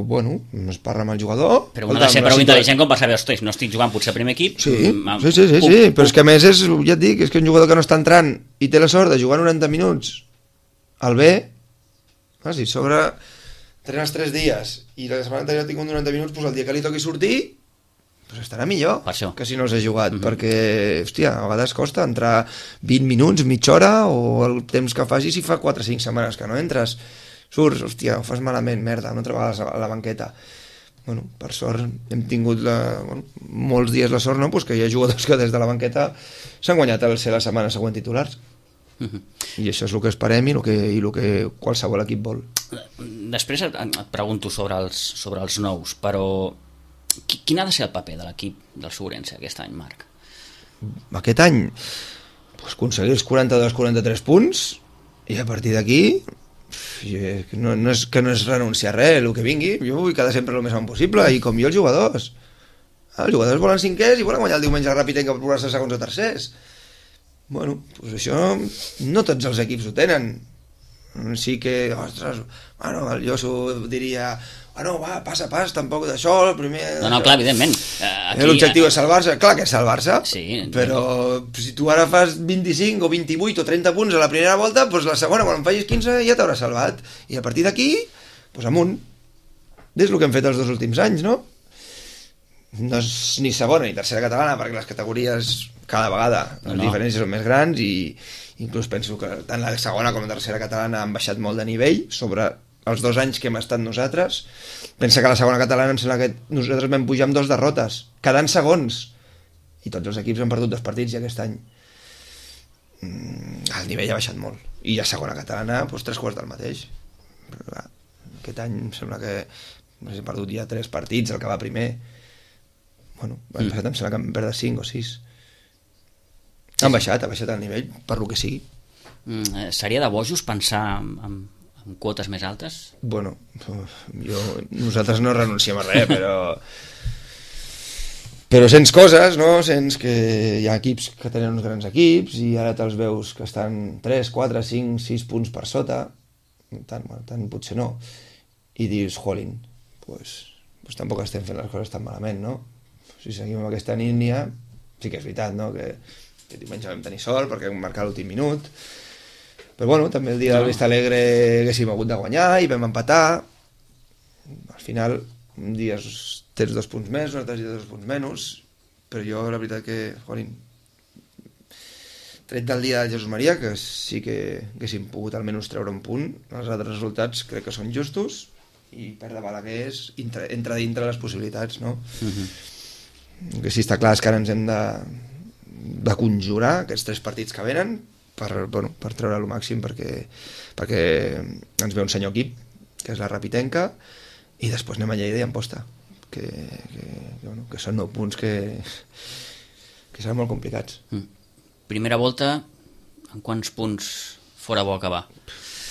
bueno, es parla amb el jugador. Però un ha de ser prou intel·ligent com per saber, ostres, no estic jugant potser al primer equip. Sí, però és que a més ja et dic, és que un jugador que no està entrant i té la sort de jugar 90 minuts al B, si sobre entrenes 3 dies i la setmana anterior ha tingut 90 minuts, doncs el dia que li toqui sortir estarà millor que si no s'ha jugat, perquè, hòstia, a vegades costa entrar 20 minuts, mitja hora, o el temps que facis si fa 4 o 5 setmanes que no entres. Surts, hòstia, ho fas malament, merda, una altra vegada a la banqueta. Bueno, per sort hem tingut molts dies la sort, no? Pues que hi ha jugadors que des de la banqueta s'han guanyat el ser la setmana següent titulars. I això és el que esperem i el que qualsevol equip vol. Després et pregunto sobre els nous, però quin ha de ser el paper de l'equip del Segurense aquest any, Marc? Aquest any aconseguir els 42-43 punts i a partir d'aquí no és renunciar a res, el que vingui. Jo vull quedar sempre el més amunt possible, i com jo els jugadors volen cinquers i volen guanyar el diumenge ràpid per progressar segons o tercers. Bueno, doncs això no tots els equips ho tenen. Sí que, ostres, bueno, el Josu diria, bueno, va, pas a pas, tampoc d'això, el primer... No, clar, evidentment. L'objectiu és salvar-se, clar que és salvar-se, sí, però si tu ara fas 25 o 28 o 30 punts a la primera volta, doncs la segona, quan en facis 15, ja t'hauràs salvat. I a partir d'aquí, doncs amunt. És el que hem fet els 2 últims anys, no? No és ni segona ni tercera catalana, perquè les categories cada vegada les diferències són més grans, i inclús penso que tant la segona com la tercera catalana han baixat molt de nivell sobre els 2 anys que hem estat nosaltres. Pensa que la segona catalana em sembla que nosaltres vam pujar amb 2 derrotes, quedant segons, i tots els equips han perdut 2 partits, i aquest any el nivell ha baixat molt, i la segona catalana doncs 3/4 del mateix. Però, clar, aquest any em sembla que hem perdut ja 3 partits, el que va primer. Bueno, l'any passat em sembla que vam perdre 5 o 6. Ha baixat el nivell, per lo que sigui. Seria de bojos pensar en quotes més altes? Bueno, nosaltres no renunciem a res, però sents coses, no? Sents que hi ha equips que tenen uns grans equips i ara te'ls veus que estan 3, 4, 5, 6 punts per sota, tant potser no, i dius, jolín, pues tampoc estem fent les coses tan malament, no? Si seguim amb aquesta línia, sí que és veritat, no? Que diumenge vam tenir sort perquè vam marcar l'últim minut, però bueno, també el dia del Vista Alegre haguéssim hagut de guanyar i vam empatar. Al final un dia tens 2 punts més, un altre dia 2 punts menys, però jo la veritat que, jolín, tret del dia de Jesús Maria, que sí que haguéssim pogut almenys treure un punt, els altres resultats crec que són justos, i perdre Balaguer entra dintre les possibilitats, no? El que sí està clar és que ara ens hem de conjurar aquests 3 partits que venen per treure el màxim, perquè ens ve un senyor equip, que és la Rapitenca, i després anem a Lleida i Amposta, que són 9 punts que seran molt complicats. Primera volta, en quants punts fora bo acabar?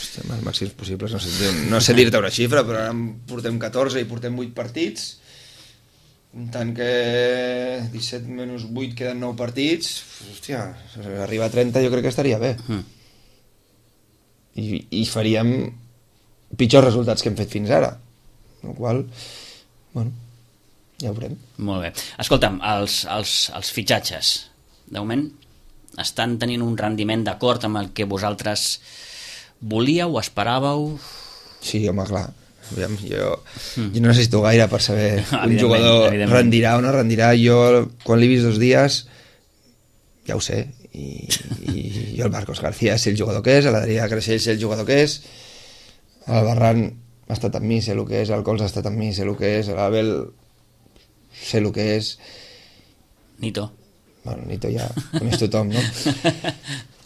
Estem als màxims possibles, no sé dir-te una xifra, però ara en portem 14 i portem 8 partits, tant que 17 menys 8 queden 9 partits, hòstia, arribar a 30 jo crec que estaria bé. I faríem pitjors resultats que hem fet fins ara, el qual, bueno, ja ho veurem. Molt bé. Escolta'm, els fitxatges, de moment, estan tenint un rendiment d'acord amb el que vosaltres volíeu, esperàveu? Sí, home, clar. Aviam, jo no necessito gaire per saber un jugador rendirà o no rendirà. Jo, quan l'he vist 2 dies, ja ho sé, i jo el Marcos García sé el jugador que és, l'Adrià Creixell sé el jugador que és, el Barran ha estat amb mi, sé el que és, el Cols ha estat amb mi, sé el que és, l'Abel sé el que és. Nito. Bueno, Nito ja coneix tothom, no?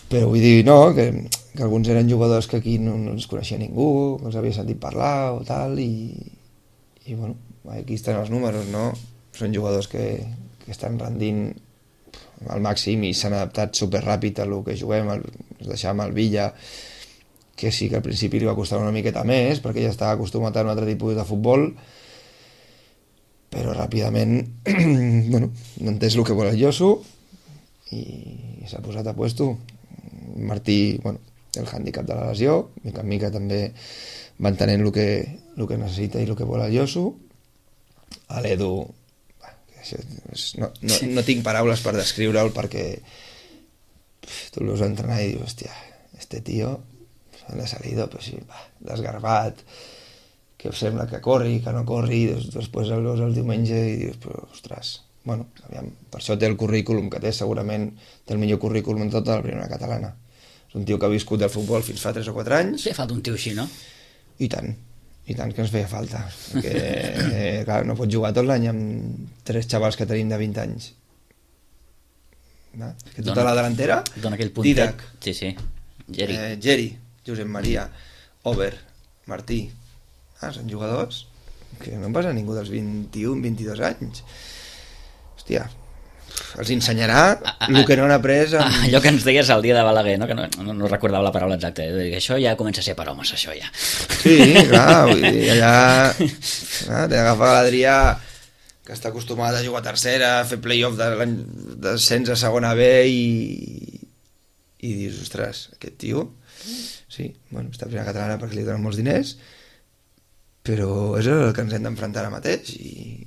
Però vull dir, no, que alguns eren jugadors que aquí no els coneixia ningú, que els havia sentit parlar o tal, i bueno, aquí estan els números, no? Són jugadors que estan rendint al màxim i s'han adaptat superràpid a lo que juguem. Es deixàvem el Villa, que sí que al principi li va costar una miqueta més, perquè ja estava acostumat a un altre tipus de futbol, però ràpidament bueno, no entès el que vol el Josu i s'ha posat a puesto. Martí, bueno, el hàndicap de la lesió, mica en mica també va entenent el que necessita i el que vol el Yosu. A l'Edu no tinc paraules per descriure'l, perquè tu el veus entrenar i dius, hòstia, este tío de salida, pues sí, desgarbat, que sembla que corri, que no corri, després el veus el diumenge i dius, però, ostres, bueno, aviam, per això té el currículum que té, segurament té el millor currículum en tota la primera catalana. És un tio que ha viscut del futbol fins fa 3 o 4 anys. Sí, falta un tio així, no? I tant que ens feia falta, perquè clar, no pots jugar tot l'any amb 3 xavals que tenim de 20 anys. Que tota la delantera, dona aquell puntet. Didac, Sí, Geri, Josep Maria, Over, Martí, són jugadors que no en passa ningú dels 21-22 anys. Hòstia, els ensenyarà el que no han après allò que ens deies el dia de Balaguer, no? Que no recordava la paraula exacta, això ja comença a ser per homes, això ja. Sí, clar, vull dir, allà t'he d'agafar l'Adrià, que està acostumat a jugar a tercera, a fer play-off d'ascens a segona B, i dius, ostres, aquest tio sí, bueno, està a primera catalana perquè li donen molts diners, però és el que ens hem d'enfrontar ara mateix, i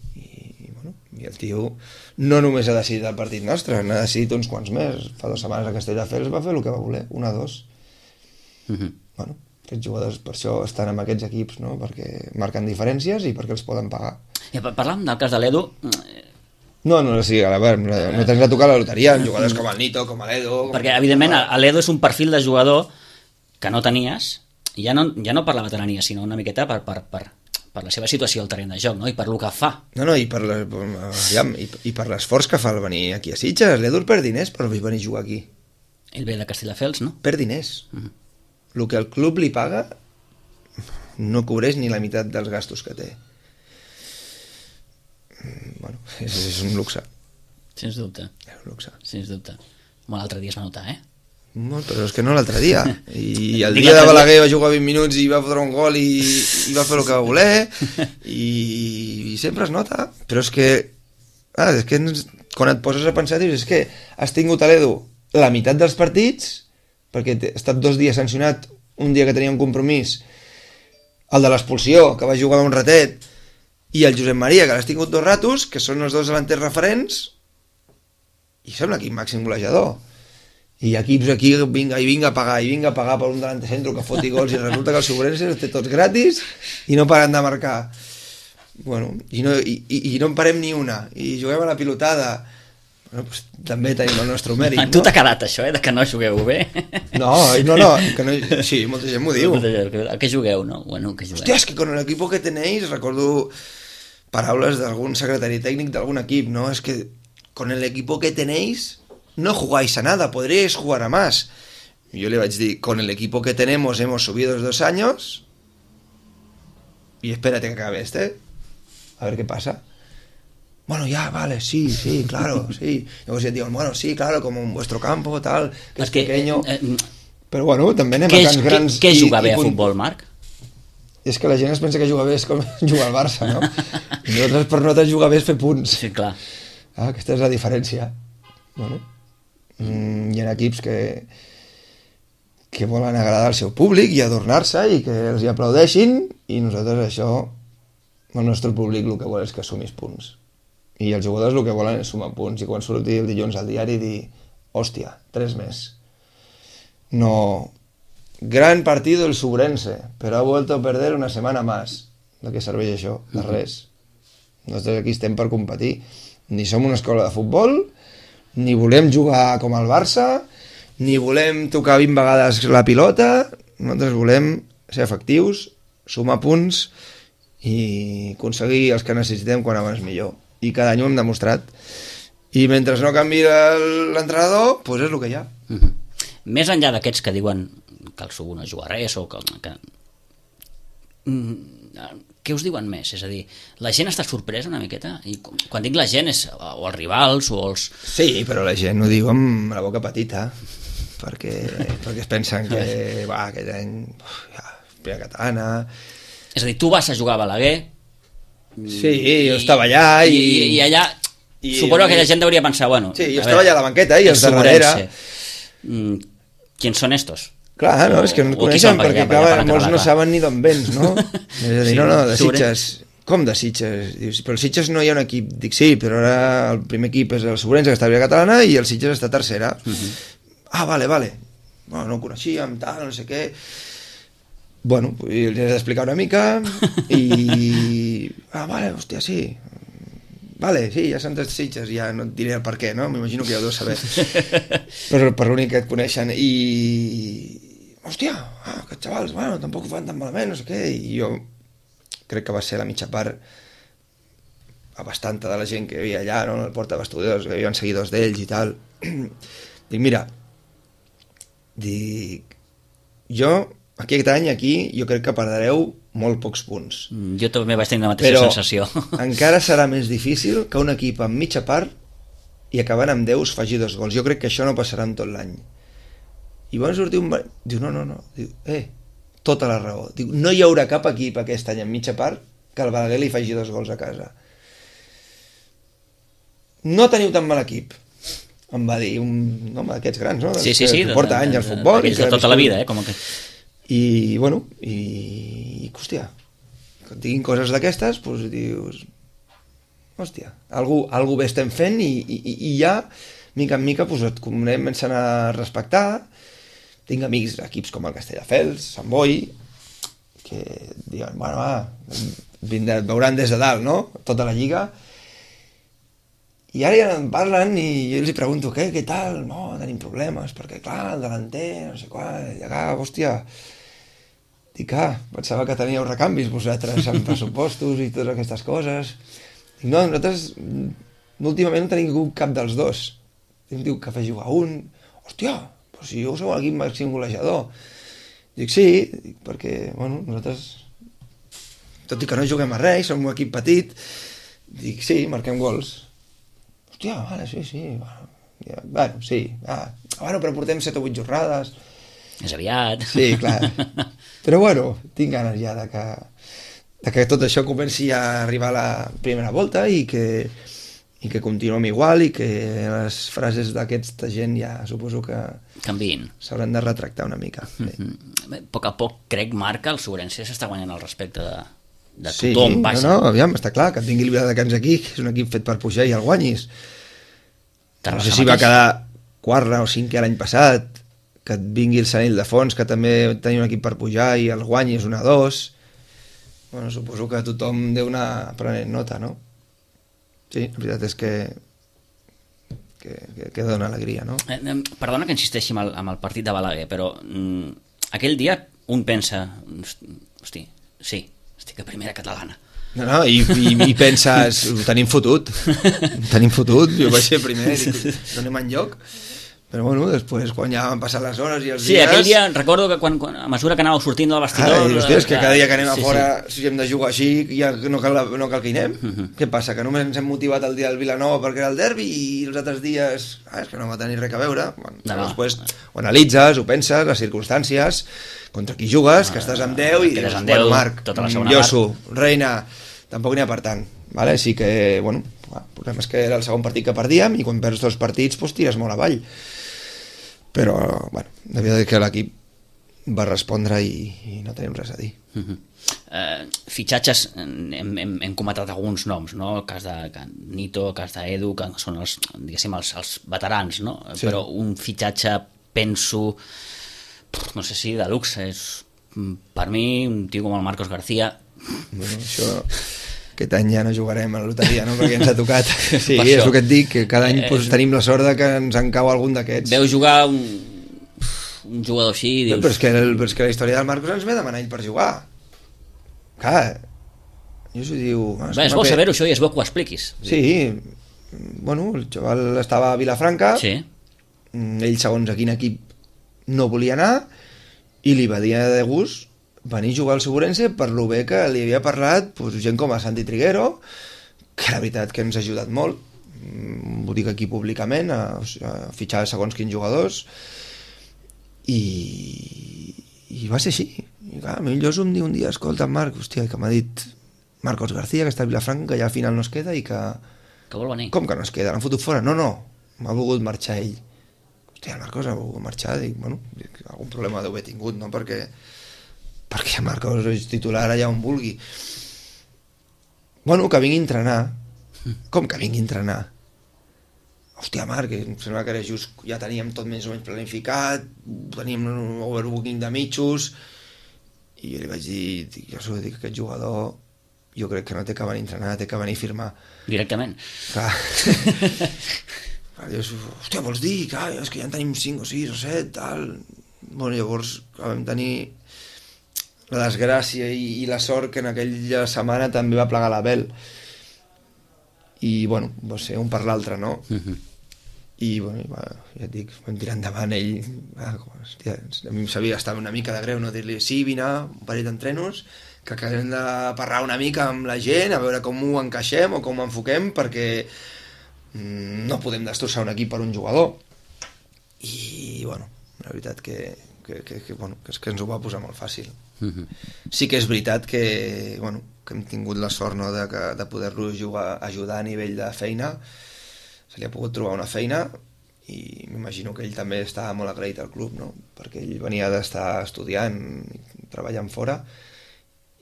el tio no només ha decidit el partit nostre, n'ha decidit uns quants més. Fa 2 setmanes a Castelldefels va fer el que va voler, 1-2. Bueno, aquests jugadors per això estan en aquests equips, no? Perquè marquen diferències i perquè els poden pagar. I parlàvem del cas de l'Edu. No, sí, a veure, no tens de tocar la loteria amb jugadors com el Nito, com l'Edu... Perquè, evidentment, l'Edu és un perfil de jugador que no tenies, i ja no per la veterania, sinó una miqueta per la seva situació al terreny de joc, no? I per lo que fa. No, i per l'esforç que fa el venir aquí a Sitges. L'Edu perd diners per venir a jugar aquí. Ell ve de Castelldefels, no? Perd diners. El que el club li paga no cobreix ni la meitat dels gastos que té. Bueno, és un luxe. Sens dubte. És un luxe. Sens dubte. Bueno, l'altre dia es va notar, No, però és que no l'altre dia. I el dia de Balaguer va jugar 20 minuts i va fotre un gol i va fer el que va voler, i sempre es nota. Però és que quan et poses a pensar dius, és que has tingut a l'Edu la meitat dels partits, perquè ha estat 2 dies sancionat, un dia que tenia un compromís, el de l'expulsió, que va jugar un ratet, i el Josep Maria, que l'has tingut 2 ratos, que són els 2 delanters referents, i sembla que màxim golejador. I equips aquí vinga a pagar per un delanter centro que foti gols, i resulta que el Sobrense els té tots gratis i no paren de marcar. Bueno, i no en parem ni una, i juguem a la pilotada. Bueno, pues, també tenim el nostre mèrit, no? Tu t'ha quedat això, de que no jugueu bé? No, que no, sí, molta gent m'ho diu. A què jugueu, no? Bueno, que jugueu. Hòstia, és que con el equipo que tenéis, recordo paraules d'algun secretari tècnic d'algun equip, no? És que con el equipo que tenéis no jugáis a nada, podríais jugar a más. Y yo le voy a decir, con el equipo que tenemos hemos subido los 2 años y espérate que acabe a ver qué pasa. Bueno, ya, vale, sí, claro, sí. Luego se digo, bueno, sí, claro, como en vuestro campo, tal, que es pequeño. Però bueno, també anem a camps grans. Què és jugar bé a futbol, Marc? És que la gent es pensa que jugar bé és com jugar al Barça, no? I nosaltres, per nosaltres, jugar bé és fer punts. Sí, clar. Aquesta és la diferència. Bueno, hi ha equips que volen agradar al seu públic i adornar-se i que els hi aplaudeixin, i nosaltres això, el nostre públic el que vol és que sumis punts, i els jugadors el que volen és sumar punts, i quan surti el dilluns al diari dir, hòstia, 3 més. No, gran partido el Subrense, però ha vuelto a perder una setmana más. De què serveix això? De res. Nosaltres aquí estem per competir. Ni som una escola de futbol, ni volem jugar com el Barça, ni volem tocar 20 vegades la pilota. Nosaltres volem ser efectius, sumar punts i aconseguir els que necessitem quan abans millor. I cada any ho hem demostrat. I mentre no canvi l'entrenador, doncs és el que hi ha. Més enllà d'aquests que diuen que el Sub no juga res, o que què us diuen més? És a dir, la gent està sorpresa una miqueta? I quan dic la gent és o els rivals o els... Sí, però la gent ho diu amb la boca petita, perquè es pensen que aquest any primera catalana... És a dir, tu vas a jugar a Balaguer... Sí, jo estava allà i allà... Suposo que la gent hauria pensar, bueno... Sí, jo estava allà a la banqueta i els darrere... ¿Quién son estos? Clar, no, és que no et coneixen perquè clar, molts no saben ni d'on vens, no? És a dir, no, de Sitges. Com de Sitges? Dius, però el Sitges no hi ha un equip. Dic, sí, però ara el primer equip és el Sobrense, que està a Lliga Catalana, i el Sitges està a tercera. Ah, vale. Bueno, no ho coneixíem, tal, no sé què. Bueno, els he d'explicar una mica i... Ah, vale, hòstia, sí. Vale, sí, ja s'han de Sitges, ja no et diré el per què, no? M'imagino que ja ho deus saber. Però per l'únic que et coneixen i... Hòstia, aquests xavals, bueno, tampoc ho fan tan malament, no sé què, i jo crec que va ser la mitja part a bastanta de la gent que hi havia allà, no? El porta de vestidors, que hi havia seguidors d'ells i tal. Dic, mira, jo, aquest any aquí, jo crec que perdreu molt pocs punts. Jo també vaig tenir la mateixa sensació. Però encara serà més difícil que un equip amb mitja part i acabant amb 10 faci 2 gols. Jo crec que això no passarà en tot l'any. I van sortir un... Diu, no. Diu, tota la raó. Diu, no hi haurà cap equip aquest any en mitja part que el Balaguer li faci 2 gols a casa. No teniu tan mal equip, em va dir un home d'aquests grans, no? Sí, que porta anys al futbol. I de tota la vida, com que... I, bueno, hòstia, que diguin coses d'aquestes, doncs dius, hòstia, algú bé estem fent i ja, mica en mica, doncs et comencen a respectar. Tinc amics d'equips com el Castelldefels, Sant Boi, que diuen, bueno, et veuran des de dalt, no? Tota la lliga. I ara ja em parlen i jo els pregunto, què tal? No, tenim problemes, perquè clar, el delanter, no sé qual, i acá, hòstia... Dic, pensava que teníeu recanvis vosaltres amb pressupostos i totes aquestes coses. Dic, no, nosaltres últimament no tenim cap dels dos. Em diu que fa jugar un. Hòstia, però si jo sou l'equip màxim golejador. Dic, sí, perquè, bueno, nosaltres, tot i que no juguem a res, som un equip petit, dic, sí, marquem gols. Hòstia, vale, sí, bueno, sí, bueno, però portem 7 o 8 jornades. És aviat. Sí, clar. Però bueno, tinc ganes ja de que tot això comenci a arribar a la primera volta i que continuem igual i que les frases d'aquesta gent ja suposo que canviïn. S'hauran de retractar una mica. A poc a poc, crec, Marc, el Sobrense s'està guanyant el respecte de tothom. Sí, no, aviam, està clar, que et vingui el Viladecans aquí, que és un equip fet per pujar i el guanyis. No sé si va quedar quart o cinquè l'any passat, que et vingui el Sant Ildefons, que també tenia un equip per pujar i el guanyis 1-2. Bueno, suposo que tothom deu anar prenent nota, no? Sí, la veritat és que dona alegria, no? Perdona que insisteixi amb el partit de Balaguer, però aquell dia un pensa, hosti, sí, estic a primera catalana. No, i penses, ho tenim fotut, jo vaig ser primer, no anem enlloc. Però bueno, després quan ja van passar les hores i els dies... Sí, aquell dia recordo que a mesura que anàveu sortint del vestidor... és que cada dia que anem a fora, si hem de jugar així, ja no cal que hi anem. Què passa? Que només ens hem motivat el dia del Vilanova perquè era el derbi i els altres dies és que no va tenir res a veure. Després ho analitzes, ho penses, les circumstàncies, contra qui jugues, que estàs amb 10 i dius, bueno, Marc, Lloso, Reina, tampoc n'hi ha per tant. Sí que, bueno, el problema és que era el segon partit que perdíem i quan perds 2 partits, doncs tires molt avall. Però, bueno, devia dir que l'equip va respondre i no tenim res a dir. Fitxatges, hem comentat alguns noms, no? El cas de Nito, el cas d'Edu, que són els, diguéssim, els veterans, no? Sí. Però un fitxatge, penso, no sé si de luxe, és per mi un tio com el Marcos García. Bueno, això... Aquest any ja no jugarem a la loteria, no? Perquè ens ha tocat. Sí, és el que et dic, que cada any tenim la sort que ens en cau algun d'aquests. Veu jugar un jugador així i dius... Però és que la història del Marcos ens ve demanar ell per jugar. Clar, jo s'ho diu... És bo saber-ho això i és bo que ho expliquis. Sí, bueno, el xaval estava a Vilafranca, ell segons a quin equip no volia anar i li va dir de gust venir a jugar al Sobrense per lo bé que li havia parlat gent com a Santi Triguero, que la veritat que ens ha ajudat molt, ho dic aquí públicament, a fitxar segons quins jugadors, i va ser així. I clar, a mi el Lloso em diu un dia, escolta Marc, hòstia, que m'ha dit Marcos García, que està a Vilafranca, que ja al final no es queda i que... Que vol venir. Com que no es queda? L'han fotut fora? No, m'ha volgut marxar ell. hòstia, el Marcos ha volgut marxar, dic, bueno, algun problema deu haver tingut, no? Perquè el Marcos és titular allà on vulgui. Bueno, que vingui a entrenar. Com que vingui a entrenar? Hòstia, Marc, em sembla que era just, ja teníem tot més o menys planificat, teníem un overbooking de mitjos, i jo li vaig dir, jo dic, aquest jugador jo crec que no té que venir a entrenar, té que venir a firmar. Directament. Clar. Dius, hòstia, vols dir? Clar, és que ja en tenim 5 o 6 o 7, tal. Bueno, llavors vam tenir la desgràcia i la sort que en aquella setmana també va plegar l'Abel. I, bueno, va ser un per l'altre, no? I, bueno, ja et dic, vam tirar endavant ell. Hòstia, a mi em sabia estar una mica de greu, no? Dir-li, sí, vine, un parell d'entrenos, que acabem de parlar una mica amb la gent, a veure com ho encaixem o com ho enfoquem, perquè no podem destrossar un equip per un jugador. I, bueno, la veritat que ens ho va posar molt fàcil. Sí que és veritat que, bueno, que hem tingut la sort, no, de poder-lo ajudar a nivell de feina. Se li ha pogut trobar una feina i m'imagino que ell també estava molt agraït al club, no? Perquè ell venia d'estar estudiant i treballant fora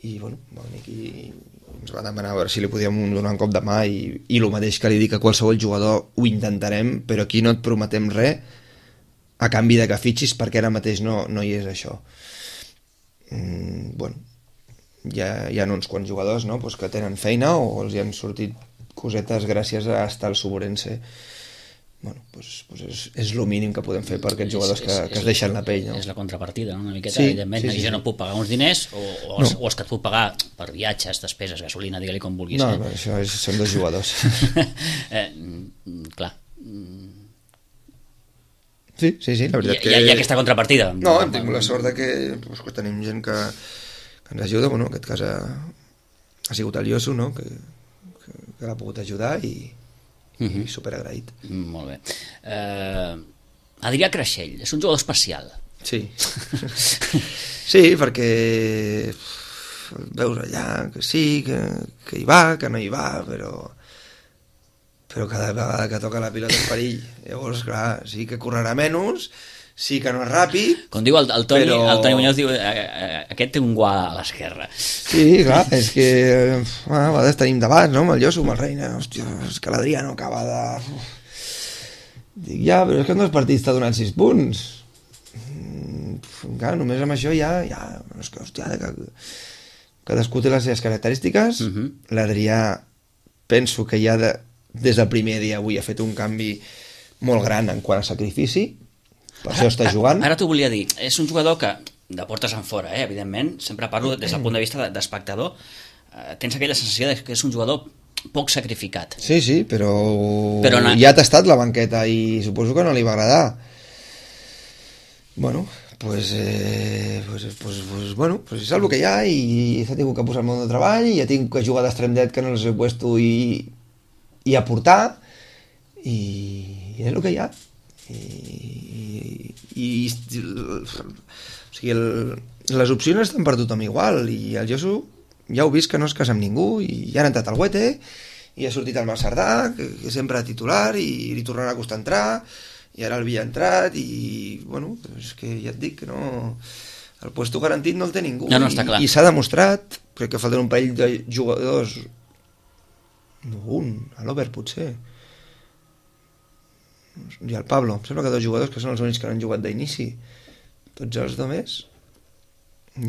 i, bueno, va venir aquí i ens va demanar a veure si li podíem donar un cop de mà i el mateix que li dic a qualsevol jugador, ho intentarem, però aquí no et prometem res a canvi de que fitxis, perquè ara mateix no hi és això. Bueno, hi ha uns quants jugadors, no? Pues que tenen feina o els hi han sortit cosetes gràcies a estar al Suburense. Bueno, pues és el mínim que podem fer per aquests jugadors que es deixen la pell, no? És la contrapartida, no? Una miqueta, evidentment. Sí, jo no puc pagar uns diners o els que et puc pagar per viatges, despeses, gasolina, digue-li com vulguis. No, això són dos jugadors. Clar. Sí, la veritat que... Hi ha aquesta contrapartida. No, hem tingut la sort que tenim gent que ens ajuda, bueno, en aquest cas ha sigut el Yosu, no?, que l'ha pogut ajudar i superagraït. Molt bé. Adrià Creixell, és un jugador especial. Sí. Sí, perquè veus allà que sí, que hi va, que no hi va, però cada vegada que toca la pilota és perill. Llavors, clar, sí que correrà menys, sí que no és ràpid... Com diu el Toni, però... el Toni Muñoz diu aquest té un guà a l'esquerra. Sí, clar, és que a vegades tenim debats, no?, amb el Josu, amb el Reina, hòstia, és que l'Adrià no acaba de... Dic, ja, però és que en 2 partits t'ha donat 6 punts. Clar, només amb això ja és que, hòstia, cadascú té les seves característiques. L'Adrià penso que ja des del primer dia avui ha fet un canvi molt gran en quant a sacrifici. Per això està jugant. Ara t'ho volia dir, és un jugador que de portes en fora, evidentment, sempre parlo des del punt de vista d'espectador, tens aquella sensació que és un jugador poc sacrificat. Sí, però ja t'ha estat la banqueta i suposo que no li va agradar. Bueno, pues és el que hi ha i s'ha tingut que posar al món de treball i ja tinc que jugar d'extrem dret que no els he puesto i aportar i és el que hi ha. O sigui, les opcions estan per tothom igual i el Josu ja heu vist que no es casa amb ningú i ja ha entrat al Huete i ha sortit el Marcerdà que sempre titular i li tornarà a costar entrar i ara el Villa ha entrat i bueno, és que ja et dic que no, el puesto garantit no el té ningú. No, està clar. I s'ha demostrat, crec que falten un parell de jugadors, a l'Ober potser i el Pablo, em sembla que 2 jugadors que són els únics que no han jugat d'inici, tots els demés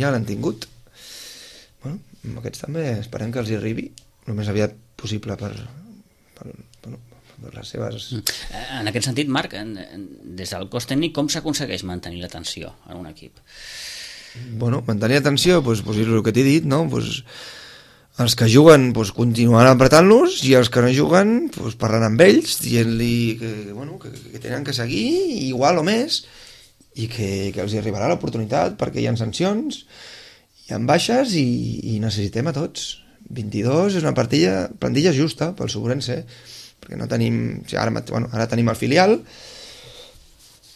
ja l'han tingut. Bueno, amb aquests també esperem que els hi arribi el més aviat possible per les seves... En aquest sentit, Marc, des del cos tècnic, com s'aconsegueix mantenir l'atenció en un equip? Bueno, mantenir l'atenció, doncs és el que t'he dit, no? Els que juguen continuaran apretant-los i els que no juguen parlant amb ells, dient-li que tenen que seguir igual o més i que els hi arribarà l'oportunitat perquè hi ha sancions, hi ha baixes i necessitem a tots. 22 és una plantilla justa pel Suburense, perquè no tenim... Ara tenim el filial,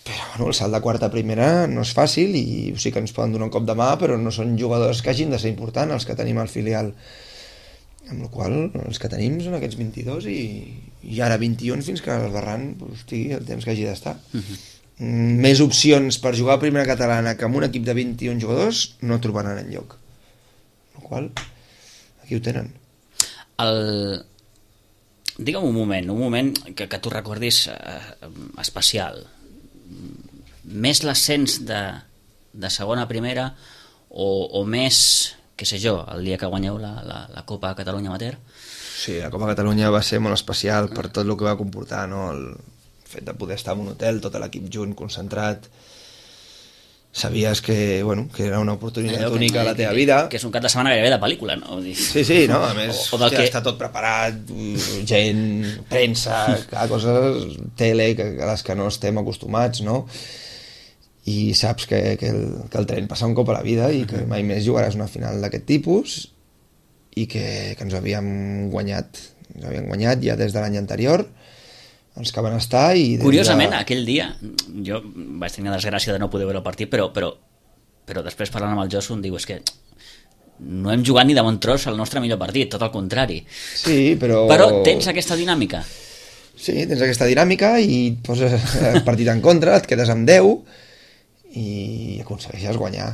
però el salt de quarta a primera no és fàcil i sí que ens poden donar un cop de mà, però no són jugadors que hagin de ser importants els que tenim al filial. Amb la qual els que tenim són aquests 22 i ara 21 fins que el Barran estigui el temps que hagi d'estar. més opcions per jugar a primera catalana que amb un equip de 21 jugadors no trobaran enlloc. El qual, aquí ho tenen. Digue'm un moment que tu recordis especial. Més l'ascens de segona a primera o més, què sé jo, el dia que guanyeu la Copa Catalunya Amateur? Sí, la Copa Catalunya va ser molt especial per tot el que va comportar, no? El fet de poder estar en un hotel, tot l'equip junt, concentrat. Sabies que era una oportunitat única a la teva vida. Que és un cap de setmana gairebé de pel·lícula, no? Sí, no? A més, està tot preparat, gent, premsa, coses, tele, a les que no estem acostumats, no? I saps que el tren passa un cop a la vida i que mai més jugaràs una final d'aquest tipus i que ens havíem guanyat ja des de l'any anterior, els que van estar i... Curiosament, aquell dia jo vaig tenir la desgràcia de no poder veure el partit, però després parlant amb el Josu em diu, és que no hem jugat ni de bon tros el nostre millor partit, tot el contrari. Sí, però tens aquesta dinàmica. Sí, tens aquesta dinàmica i et poses el partit en contra, et quedes amb 10 i aconsegueixes guanyar.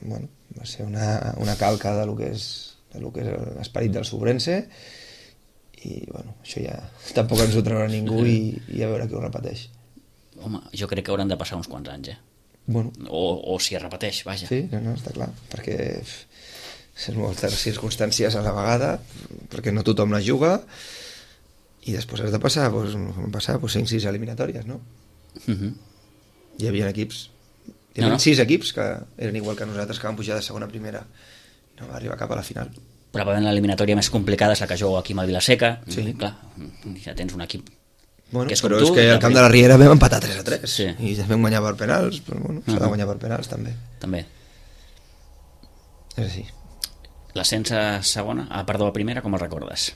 Bueno, va ser una calca de lo que és l'esperit del Sobrense i bueno, això ja tampoc ens ho traurà ningú i a veure qui ho repeteix. Home, jo crec que hauran de passar uns quants anys, Bueno. O si es repeteix, vaja. Sí, no, està clar, perquè són moltes circumstàncies a la vegada, perquè no tothom la juga i després has de passar 5-6 eliminatòries, no? Hi havia equips, hi havia 6 equips que eren igual que nosaltres, que van pujar de segona a primera, no va arribar cap a la final. Probablement l'eliminatòria més complicada és la que jugo aquí amb el Vilaseca. Sí. Clar, ja tens un equip que és com tu. És que al camp de la Riera vam empatar 3-3 sí. I vam guanyar per penals, però bueno, s'ha de guanyar per penals també. És així. L'ascens a segona, a primera, com el recordes?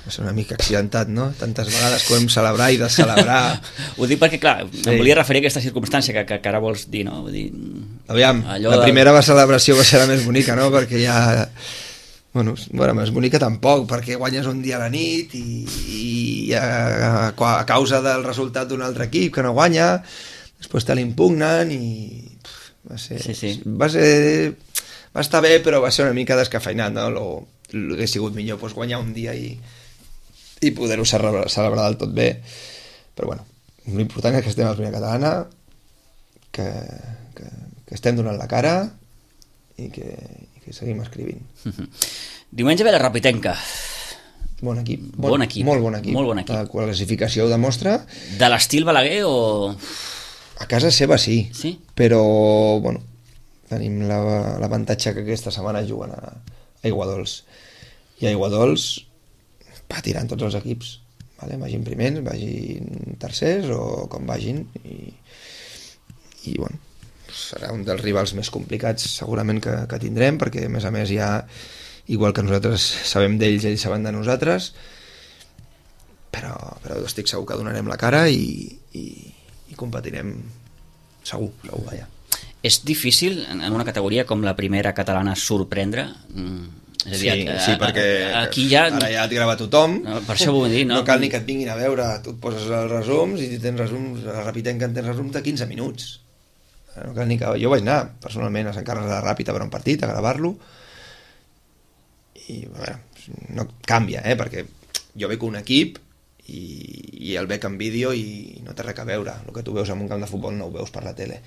Va ser una mica accidentat, no? Tantes vegades que ho vam celebrar i descelebrar. Ho dic perquè, clar, em volia referir a aquesta circumstància que ara vols dir, no? Vull dir, aviam, la primera celebració va ser la més bonica, no? Perquè ja... Bueno, més bonica tampoc, perquè guanyes un dia a la nit i a causa del resultat d'un altre equip que no guanya, després te l'impugnen i va ser... Sí. Va estar bé, però va ser una mica descafeinat, no? Hauria sigut millor guanyar un dia i poder-ho celebrar del tot bé. Però bueno, l'important és que estem a la primera catalana, que estem donant la cara i que seguim escrivint. Diumenge ve la Rapitenca. Bon equip. Bon equip. Molt bon equip. La classificació ho demostra. De l'estil Balaguer o...? A casa seva sí. Sí? Però, bueno, tenim l'avantatge que aquesta setmana juguen a Aiguadols. I a Aiguadols patiran tots els equips. Vale? Vagin primers, vagin tercers o com vagin. I bueno, serà un dels rivals més complicats segurament que tindrem, perquè a més ja, igual que nosaltres sabem d'ells, ells saben de nosaltres, però estic segur que donarem la cara i competirem segur, vaja. És difícil en una categoria com la primera catalana sorprendre? És a dir, sí, perquè aquí ja... ara ja et grava tothom, per això ho vull dir, no cal ni que et vinguin a veure, tu et poses els resums i tens resums, a la Rapitenca tens resums de 15 minuts. No cal ni que... Jo vaig anar personalment a Sant Carles de la Ràpita per un partit, a gravar-lo, i a veure, no canvia, perquè jo veig un equip i el veig en vídeo i no té res a veure. El que tu veus en un camp de futbol no ho veus per la tele,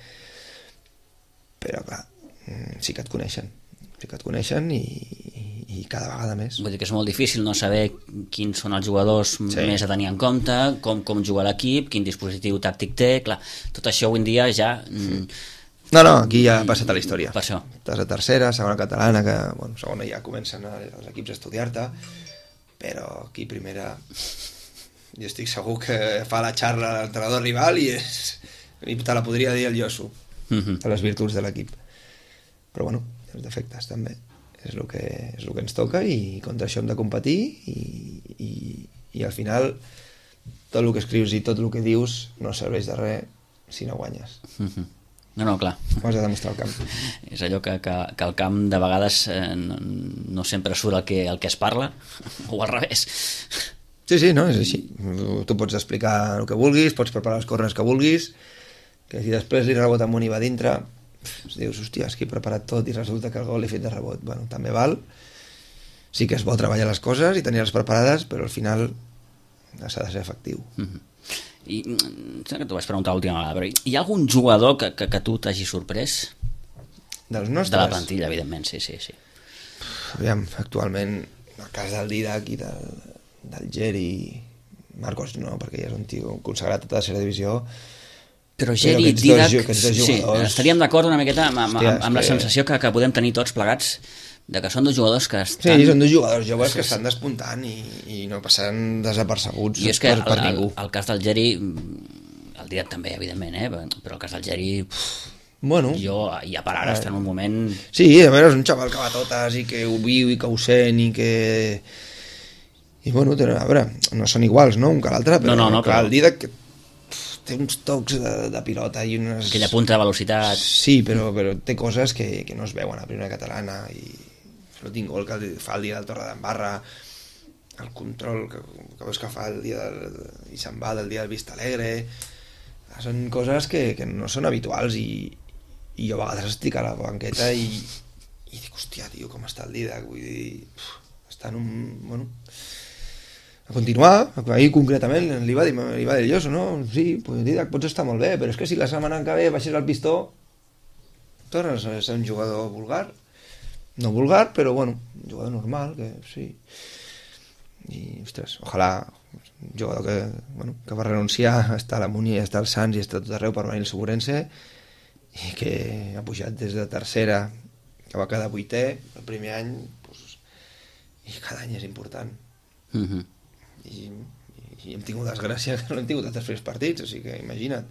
però clar, sí que et coneixen i cada vegada més. Vull dir que és molt difícil no saber quins són els jugadors més a tenir en compte, com juga l'equip, quin dispositiu tàctic té, clar, tot això avui en dia ja... No, aquí ja ha passat a la història. Per això. Estàs a tercera, segona catalana, que bueno, segona ja comencen els equips a estudiar-te, però aquí primera jo estic segur que fa la xarra a l'entrenador rival i te la podria dir el Josu, de les virtuts de l'equip. Però bueno, els defectes també. És el que ens toca i contra això hem de competir i al final tot el que escrius i tot el que dius no serveix de res si no guanyes. No, clar. Ho has de demostrar al camp. És allò que al camp de vegades no sempre surt el que es parla, o al revés. Sí, no, és així. Tu pots explicar el que vulguis, pots preparar els corners que vulguis, que si després li rebota amunt i va dintre, dius, hòstia, és que he preparat tot i resulta que el gol l'he fet de rebot. Bueno, també val. Sí que és bo treballar les coses i tenir-les preparades, però al final s'ha de ser efectiu. I sé que t'ho vaig preguntar l'última vegada, però hi ha algun jugador que tu t'hagi sorprès? Dels nostres? De la plantilla, evidentment, sí. Aviam, actualment, el cas del Didac i del Geri, Marcos no, perquè ja és un tio consagrat a tota la tercera divisió. Però Geri i Didac, sí, estaríem d'acord una miqueta amb la sensació que podem tenir tots plegats de que són dos jugadors que estan... Sí, són dos jugadors joves que estan despuntant i no passaran desapercebuts per ningú. El cas del Geri, el Didac també, evidentment, però el cas del Geri... Bueno, jo ja per ara està en un moment... Sí, a veure, és un xaval que va a totes i que ho viu i que ho sent i que... I bueno, a veure, no són iguals, no?, un que l'altre, però, però el Didac té uns tocs de pilota i unes... Aquella punta de velocitat... Sí, però té coses que no es veuen a primera catalana i l'últim gol que fa el dia del Torredembarra, el control que veus que fa el dia i se'n va del dia del Vista Alegre, són coses que no són habituals i jo a vegades estic a la banqueta i dic, hòstia, tio, com està el Didac, vull dir, està en un... Bueno, a continuar, ahir concretament li va dir el Lloso, no? Sí, pues Didac, pots estar molt bé, però és que si la setmana que ve baixes el pistó tornes a ser un jugador vulgar, no vulgar, però bueno, un jugador normal, que sí. I, ostres, ojalà un jugador que va renunciar a estar a la Múnia i a estar al Sants i a estar tot arreu per venir al Segurense i que ha pujat des de tercera, que va quedar 8è el primer any, doncs, i cada any és important. I hem tingut desgràcia que no hem tingut altres partits, o sigui que imagina't.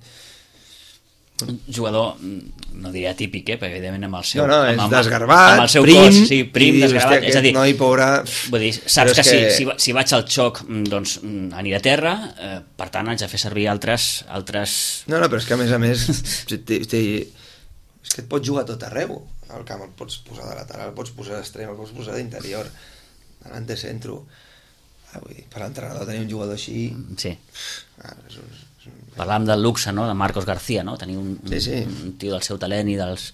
Un jugador, no diria típic, perquè evidentment amb el seu... No, és desgarbat, amb el seu prim, cos, sí, prim, desgarbat, és a dir... Noi, pobre... Vull dir, saps que si vaig al xoc, doncs aniré a terra, per tant haig de fer servir altres... No, però és que a més, és que et pots jugar tot arreu. Al camp el pots posar de lateral, el pots posar d'extrem, el pots posar d'interior, davant de centre... Vull dir, per l'entrenador tenir un jugador així... Sí. Parlàvem del luxe, no?, de Marcos García, no? Tenir un tio del seu talent i dels...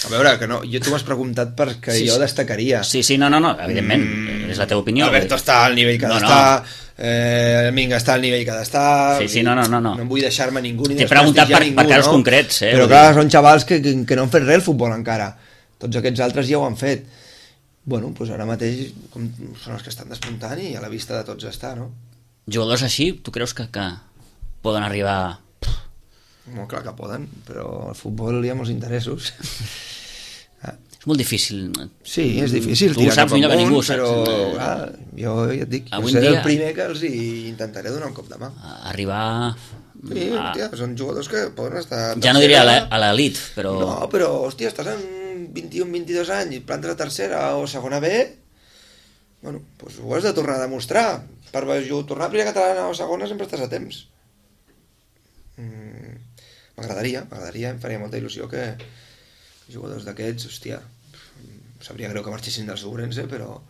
A veure, que no, tu m'has preguntat perquè jo destacaria. Sí, no, evidentment, és la teva opinió. Alberto està al nivell que ha d'estar, el Minga està al nivell que ha d'estar... Sí, no. No em vull deixar-me ningú ni t'he preguntat per casos concrets, Però clar, són xavals que no han fet res al futbol encara. Tots aquests altres ja ho han fet. Bueno, doncs ara mateix són els que estan despuntant i a la vista de tots està, no? Jugadors així, tu creus que poden arribar... Molt clar que poden, però al futbol hi ha molts interessos. És molt difícil. Sí, és difícil. Tu ho saps millor que ningú, però jo ja et dic, jo seré el primer que els intentaré donar un cop de mà. Arribar... Sí, hòstia, són jugadors que poden estar... Ja no diria a l'elit, però... No, però, hòstia, estàs en 21-22 anys i plantes a tercera o segona B, bueno, doncs ho has de tornar a demostrar. Per tornar a primera catalana o segona sempre estàs a temps. M'agradaria, em faria molta il·lusió que jugadors d'aquests, hòstia, sabria greu que marxessin del Segurense, però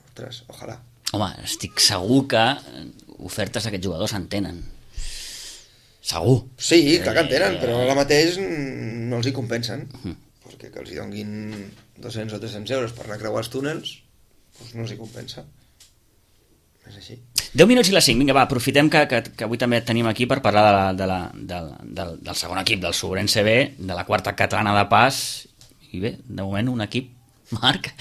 ostres, ojalà. Home, estic segur que ofertes d'aquests jugadors en tenen. Segur. Sí, clar que en tenen, però ara mateix no els hi compensen. Perquè que els hi donguin 200 o 300 euros per anar a creuar els túnels, doncs no els hi compensa. És així. 10 minuts i les 5. Vinga, va, aprofitem que avui també et tenim aquí per parlar del segon equip, del Segurense B, de la quarta catalana de pas. I bé, de moment un equip, Marc,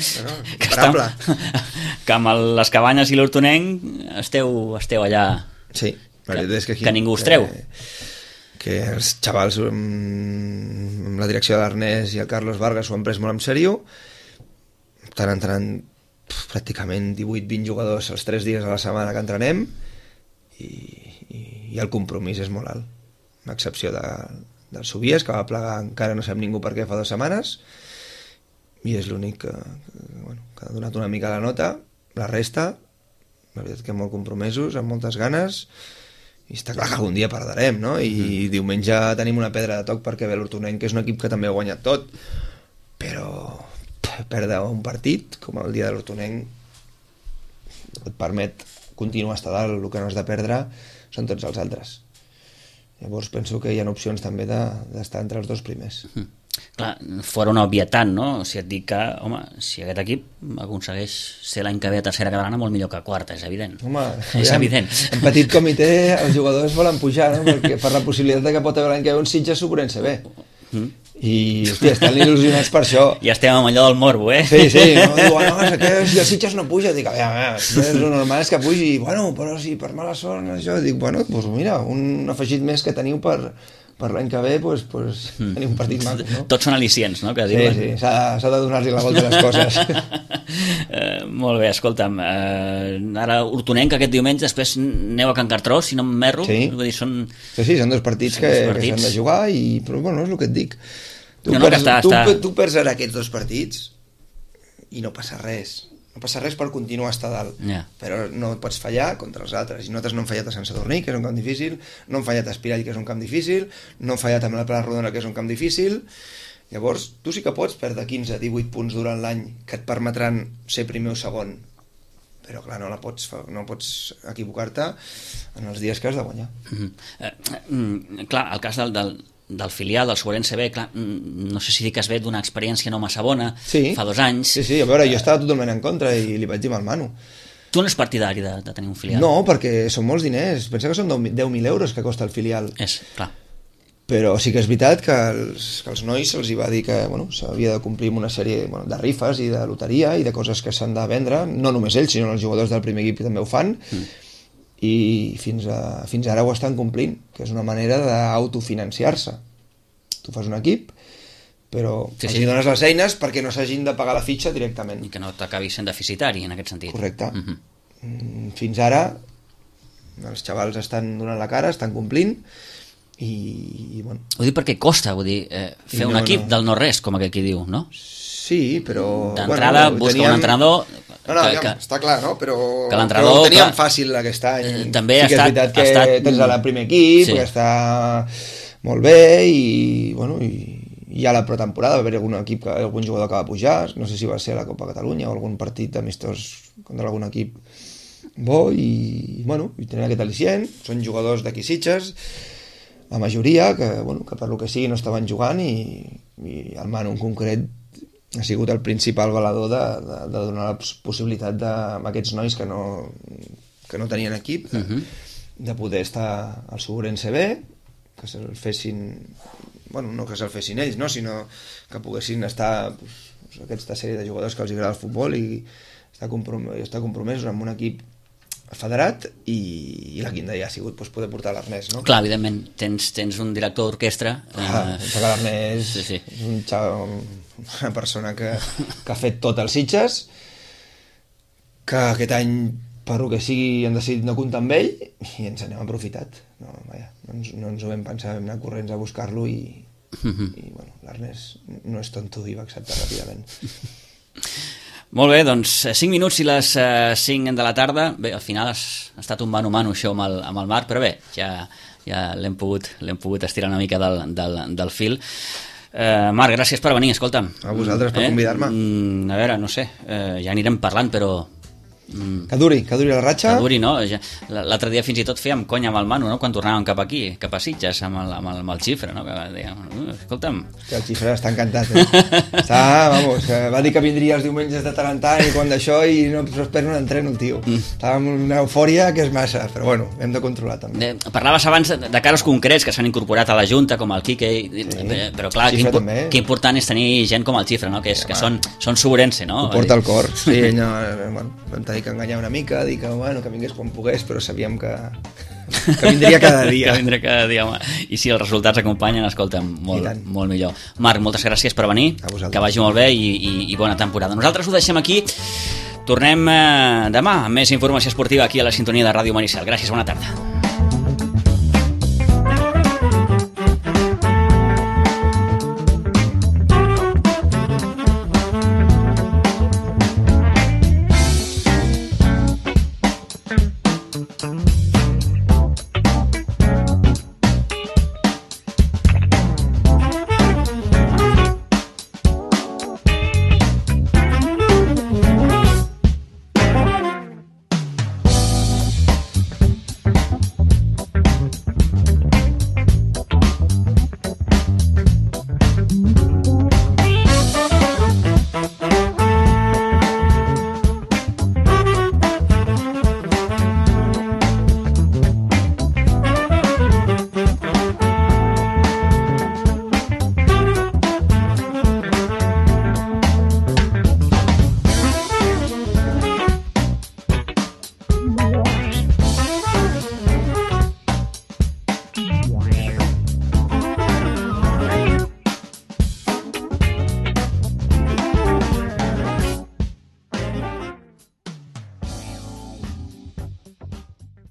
que amb les Cabanyes i l'Hortonenc esteu allà... Sí. Que ningú us treu. Que els xavals amb la direcció de l'Ernest i el Carlos Vargas ho han pres molt en sèrio. Estan entrant pràcticament 18-20 jugadors els 3 dies a la setmana que entrenem i el compromís és molt alt, amb excepció del Subies, que va plegar encara no sap ningú per què fa 2 setmanes, i és l'únic que ha donat una mica la nota. La resta, la veritat que molt compromesos, amb moltes ganes, i està clar que algun dia perdrem, no? I diumenge tenim una pedra de toc perquè ve l'Hortonenc, que és un equip que també ha guanyat tot, però perdre un partit com el dia de l'Hortonenc et permet continuar a estar dalt. El que no has de perdre són tots els altres. Llavors penso que hi ha opcions també d'estar entre els 2 primers. Clar, fora una obvietat, no? O sigui, et dic que, home, si aquest equip aconsegueix ser l'any que ve a tercera catalana, molt millor que a quarta, és evident. Home, és evident. En petit comitè els jugadors volen pujar, no? Perquè per la possibilitat que pot haver l'any que ve un Sitges Superense B. I, hòstia, estan il·lusionats per això. Ja estem amb allò del morbo, eh? Sí, no? Diuen, no, és que si el Sitges no puja, dic, a veure, el normal és que pugi, bueno, però si per mala sort, això, dic, bueno, doncs mira, un afegit més que teniu per l'any que ve, doncs teniu un partit maco, no? Tots són al·licients, no? Que sí, s'ha de donar-li la volta a les coses. Molt bé, escolta'm, ara Hortonenc aquest diumenge, després aneu a Can Cartró, si no m'erro. Sí. Vull dir, són... Sí, són 2 partits que s'han de jugar, però bueno, és el que et dic. Tu perds ara aquests 2 partits i no passa res. No passa res per continuar a estar dalt, però no pots fallar contra els altres, i nosaltres no hem fallat a Sant Sadurní, que és un camp difícil, no hem fallat a Espirall, que és un camp difícil, no hem fallat amb la Pla Rodona, que és un camp difícil. Llavors, tu sí que pots perdre 15-18 punts durant l'any, que et permetran ser primer o segon, però clar, no pots equivocar-te en els dies que has de guanyar. Clar, el cas del filial, del Sobrense B, clar, no sé si dic que es ve d'una experiència no massa bona, fa 2 anys. Sí, a veure, jo estava totalment en contra i li vaig dir al Manu. Tu no ets partidari de tenir un filial? No, perquè són molts diners. Pensa que són 10.000 euros que costa el filial. Clar. Però sí que és veritat que als nois se'ls va dir que s'havia de complir amb una sèrie de rifes i de loteria i de coses que s'han de vendre, no només ells, sinó els jugadors del primer equip també ho fan, i fins ara ho estan complint, que és una manera d'autofinanciar-se. Tu fas un equip, però els dones les eines perquè no s'hagin de pagar la fitxa directament. I que no t'acabi sent deficitari en aquest sentit. Correcte. Fins ara els xavals estan donant la cara, estan complint, i bueno... Ho dic perquè costa, vull dir, fer un equip del no-res, com aquell qui diu, no? Sí, però... D'entrada busca un entrenador... està clar, no? Però ho teníem fàcil aquest any. També sí que és veritat que tens el primer equip, que està molt bé, i bueno, hi ha la pretemporada, va haver algun jugador que va pujar, no sé si va ser a la Copa Catalunya o algun partit amistós contra algun equip bo, i bueno, i tenen aquest al·licient, són jugadors d'aquí Sitges, la majoria, que per lo que sigui no estaven jugant, i el Manu en concret ha sigut el principal valedor de donar la possibilitat a aquests nois que no tenien equip de poder estar al Sobrense B, que se'l fessin, no que se'l fessin ells, sinó que poguessin estar aquesta sèrie de jugadors que els agrada el futbol i estar compromesos amb un equip federat, i la quinta ja ha sigut poder portar l'Ernest, no? Clar, evidentment, tens un director d'orquestra. Pensa que l'Ernest és una persona que ha fet tot els Sitges, que aquest any, per lo que sigui, hem decidit no comptar amb ell, i ens n'hem aprofitat. No ens ho vam pensar, vam anar corrents a buscar-lo, i l'Ernest no és tonto i va acceptar ràpidament. Molt bé, doncs 5 minuts i les 5 de la tarda. Bé, al final ha estat un mano-mano això amb el Marc, però bé, ja l'hem pogut estirar una mica del fil. Marc, gràcies per venir, escolta'm. A vosaltres per convidar-me. A veure, no sé, ja anirem parlant, però... Que duri la ratxa. Que duri, no? L'altre dia fins i tot fèiem conya amb el Manu, no? Quan tornàvem cap aquí, cap a Sitges, amb el Xifre, no? Que dèiem, escolta'm... Que el Xifre està encantat, va dir que vindria els diumenges de tant en tant i quan d'això, i no espero un entreno, tio. Estava amb una eufòria que és massa, però bueno, hem de controlar també. Parlaves abans de casos concrets que s'han incorporat a la Junta, com el Quique, però clar, que important és tenir gent com el Xifre, no? Que són Sobrense, no? Ho porta al cor. Sí, vam tenir que enganyar una mica, dir que vingués quan pogués, però sabíem que vindria cada dia. Que vindria cada dia, home. I si els resultats acompanyen, escolta'm, molt millor. Marc, moltes gràcies per venir, que vagi molt bé i bona temporada. Nosaltres ho deixem aquí, tornem demà amb més informació esportiva aquí a la sintonia de Ràdio Maricel. Gràcies, bona tarda.